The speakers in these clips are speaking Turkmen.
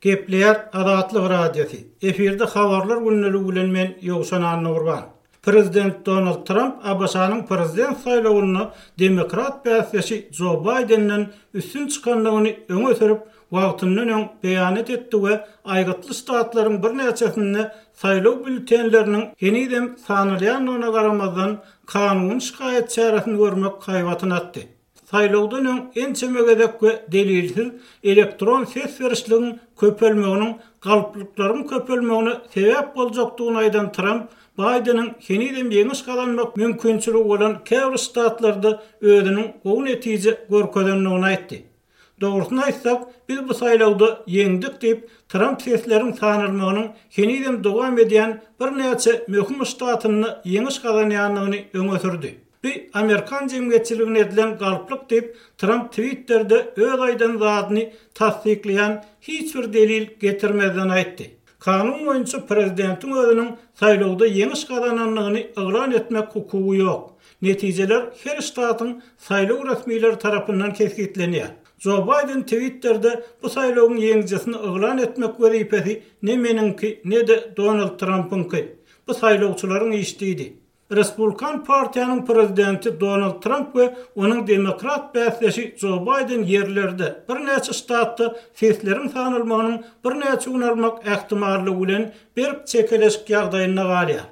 Gepleýär Azatlyk Radiosy, efirde Habarlar gündeligi bilen men Ýowşan Annagurban. Prezident Donald Tramp ABŞ-nyň prezident saýlawynda demokrat bäsdeşi Jo Baýdenden üstün çykandygyny öňe sürüp, wagtyndan öň beýanat etdi we aýgytly ştatlaryň birnäçesinde saýlaw býulletenleriniň henizem sanalýandygyna garamazdan, kanuny şikaýat çäresini görmek haýbatyny atdy. Saýlawdan öň ençeme gezek we delilsiz elektron ses berişligiň köpelmeginiň galplyklaryň köpelmegine sebäp boljakdygyny aýdan Tramp, Baýdeniň henizem ýeňiş gazanmak mümkinçiligi bolan käbir ştatlarda özüniň gowy netije görkezendigini aýtdy. Dogrusyny aýtsak, biz bu saýlawda ýeňdik diýip, Tramp sesleriň sanalmagynyň henizem dowam edýän birnäçe möhüm ştatynda ýeňiş gazanýandygyny öňe sürdi. Bu amerikan jemgyýetçiligine edilen galplyk diýip, Tramp Twitterde öz aýdan zadyny tassyklaýan hiç bir delil getirmezden aýtdy. Kanun boýunça prezidentiň özüniň saýlawda ýeňiş gazanandygyny yglan etmek hukugy ýok. Netijeler her ştatyň saýlaw resmileri tarapyndan kesgitlenýär. Jo Baýden Twitterde bu saýlawyň ýeňijisini yglan etmek wezipesi ne meniňki, ne-de Donald Trampyňky. Bu saýlawçylaryň işi diýdi. Respublikan partiýanyň prezidenti Donald Tramp we onuň demokrat bäsdeşi Jo Baýden ýerlerde, birnäçe ştatda sesleriň sanalmagynyň birnäçe gün almak ähtimallygy bilen berk çekeleşik ýagdaýynda galýar.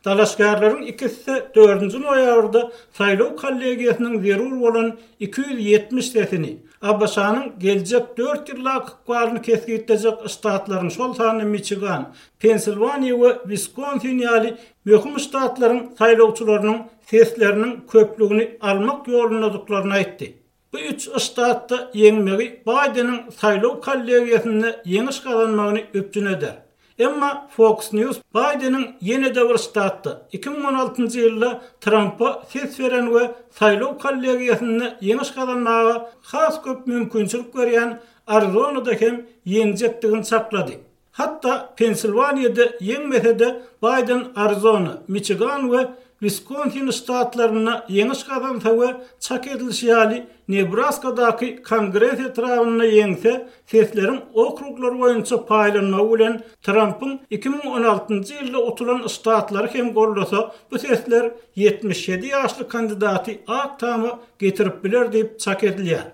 Dalaşgärleriň ikisi-de dördünji noýabrda saýlaw kollegiýasynyň zerur bolan 270 sesini, ABŞ-nyň geljek dört ýyldaky ykbalyny kesgitlejek ştatlaryň, şol sanda Miçigan, Pensilwaniýa we Wiskonsin ýaly möhüm ştatlaryň saýlawçylarynyň sesleriniň köplügini almak ýolundadyklaryny aýtdy. Bu üç ştatda ýeňmegi Baýdeniň saýlaw kollegiýasynda ýeňiş gazanmagyny üpjün eder. Emma Fox News Baýdeniň ýene-de bir ştatda, 2016-njy ýylda Trampa ses beren we saýlaw kollegiýasynda ýeňiş gazanmaga has köp mümkinçilik berýän Arizonada hem ýeňjekdigini çaklady. Hatda Pensilwaniýada ýeňmese-de, Baýden Arizona, Miçigan we Wiskonsin ştatlarynda ýeňiş gazansa we çak edilişi ýaly Nebraskadaky Kongres etrabynda ýeňse, sesleriň okruglar boýunça paýlanmagy bilen Trampyň 2016-njy ýylda utulan ştatlary hem goldasa, bu sesler 77 ýaşly kandidaty Ak Tama getirip biler diýip çak edilýär.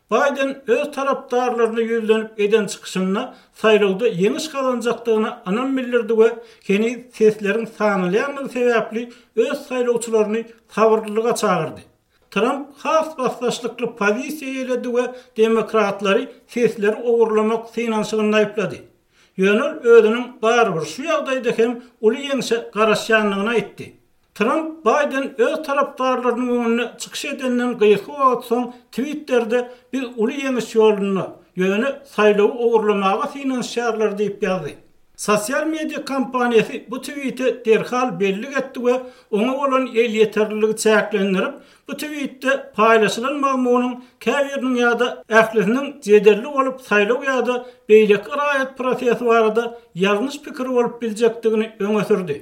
Baýden öz tarapdarlaryna ýüzlenip eden çykyşynda saýlawda ýeňiş gazanjakdygyna ynam bildirdi we heniz sesleriň sanalýandygy sebäpli öz saýlawçylaryny sabyrlylyga çagyrdy. Tramp has basdaşlykly pozisiýa eýeledi we demokratlary sesleri ogurlamak synanyşygynda aýyplady. Ýöne ol özüniň barybir şu ýagdaýda hem uly ýeňşe garaşýandygyny aýtdy. Tramp Baýden öz tarapdarlarynyň öňünde çykyş edenden gysga wagt soň Twitterde biz uly ýeňiş ýolunda, ýöne saýlawy ogurlamaga synanyşýarlar diýip ýazdy. Sosial media kompaniýasy bu twite derhal bellik etdi we oňa bolan elýeterliligi çäklendirip, bu twitde paýlaşylan mazmunyň käbiriniň ýa-da ählisiniň jedelli bolup saýlaw ýa-da beýleki raýat prosesi barada ýalňyş pikir bolup biljekdigini öňe sürdi.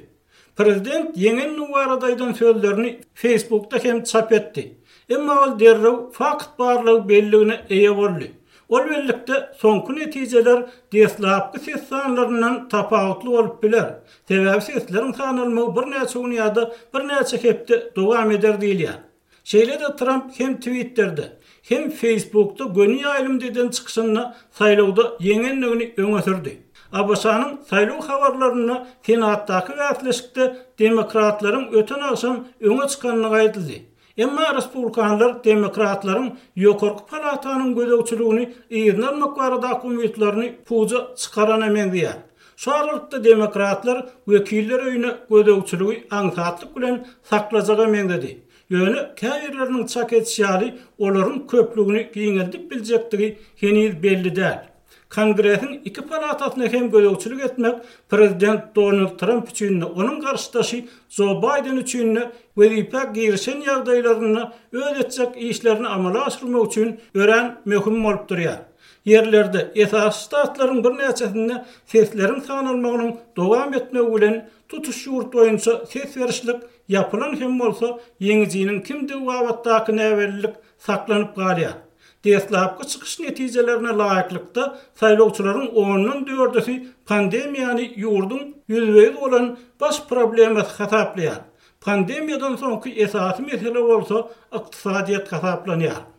Prezident ýeňendigi barada aýdan sözlerini Facebookda hem çap etdi. Emma ol derrew fakt barlagy belligine eýe boldy. Ol bellikde soňky netijeler deslapky ses sanlaryndan tapawutly bolup biler, sebäbi sesleriň sanalmagy birnäçe gün ýa-da birnäçe hepde dowam eder diýilýär. Şeýle-de Tramp hem Twitterde, hem Facebookda göni ýaýlymda eden çykyşynda saýlawda ýeňendigini öňe sürdi. ABŞ-nyň saýlaw habarlarynda Senatdaky bäsleşikde demokratlaryň öten agşam öňe çykandygy aýdyldy. Emma respublikanlar demokratlaryň ýokarky palatanyň gözegçiligini yzyna almak baradaky umytlaryny puja çykarana meňzeýär. Şu aralykda demokratlar Wekiller öýüne gözegçiligi aňsatlyk bilen saklajaga meňzedi. Ýöne käbirleriniň çak edişi ýaly, olaryň köplügini giňeldip biljekdigi heniz belli däl. Kongresiň iki palatasyna hem gözegçilik etmek prezident Donald Tramp üçin-de, onuň garşydaşy Jo Baýden üçin-de wezipä girişen ýagdaýlarynda öz etjek işlerini amala aşyrmak üçin örän möhüm bolup durýar. Ýerlerde, esasy ştatlaryň birnäçesinde sesleriň sanalmagynyň dowam etmegi bilen, tutuş ýurt boýunça ses berişlik ýapylan hem bolsa, ýeňijiniň kimdigi babatdaky näbellilik saklanyp galýar. Deslapky çykyş netijelerine laýyklykda, saýlawçylaryň ondan dördüsi pandemiýany ýurduň ýüzbe-ýüz bolan baş problemasy hasaplaýar. Pandemiýadan soňky esasy mesele bolsa ykdysadyýet hasaplanýar.